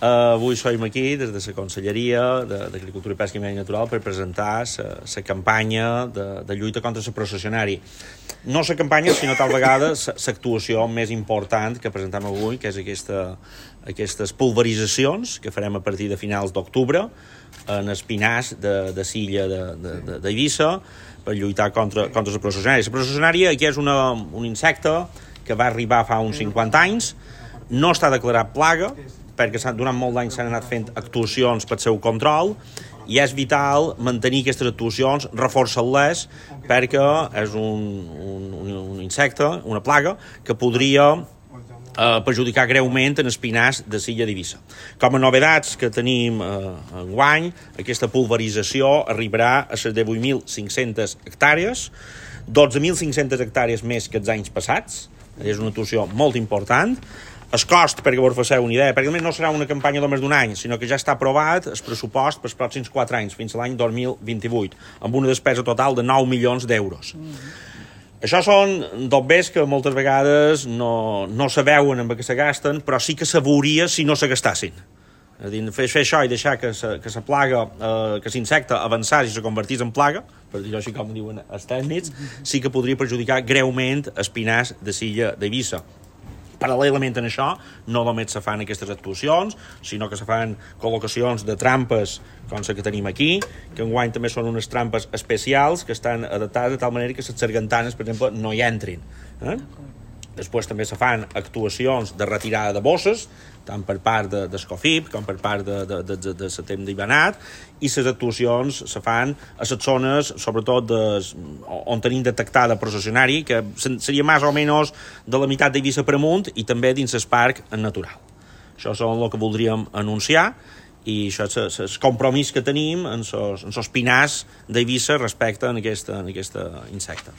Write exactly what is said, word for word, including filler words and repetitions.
Uh, avui som aquí des de la Conselleria d'Agricultura i Pesca i Medi Natural per presentar la campanya de, de lluita contra la processionari. No la campanya, sinó tal vegada l'actuació més important que presentem avui, que és aquesta, aquestes pulveritzacions que farem a partir de finals d'octubre en espinars de, de Silla d'Eivissa per lluitar contra, contra la processionària. La processionària aquí és una, un insecte que va arribar fa uns cinquanta anys, no està declarat plaga, perquè durant molt d'anys s'han anat fent actuacions per seu control i és vital mantenir aquestes actuacions, reforçar-les, perquè és un, un, un insecte, una plaga, que podria eh, perjudicar greument en espinars de Silla d'Eivissa. Com a novedats que tenim eh, enguany, aquesta pulverització arribarà a les divuit mil cinc-centes hectàrees, dotze mil cinc-centes hectàrees més que els anys passats, és una actuació molt important. El cost, perquè vos faceu una idea, perquè no serà una campanya només d'un any, sinó que ja està aprovat el pressupost pels pròxims quatre anys, fins a l'any dos mil vint-i-vuit, amb una despesa total de nou milions d'euros. Mm-hmm. Això són dobbers que moltes vegades no, no se veuen amb què se gasten, però sí que se veuria si no se gastassin. És a dir, fer, fer això i deixar que sa, que sa plaga, eh, que l'insecte avançés i se convertís en plaga, per dir-ho així com diuen els tècnics, sí que podria perjudicar greument espinars de Silla d'Eivissa. Paral·lelament a això, no només se fan aquestes actuacions, sinó que se fan col·locacions de trampes, com la que tenim aquí, que enguany també són unes trampes especials que estan adaptades de tal manera que les sargantanes, per exemple, no hi entrin. Eh? Després també se fan actuacions de retirada de bosses, tant per part de, d'Escofip com per part de, de, de, de, de Setem d'Ibanat, i les actuacions se fan a les zones, sobretot de, on tenim detectada processionari, que seria més o menys de la meitat d'Eivissa per amunt, i també dins el parc natural. Això és el que voldríem anunciar, i això és el compromís que tenim en els pinars d'Eivissa respecte a aquest insecte.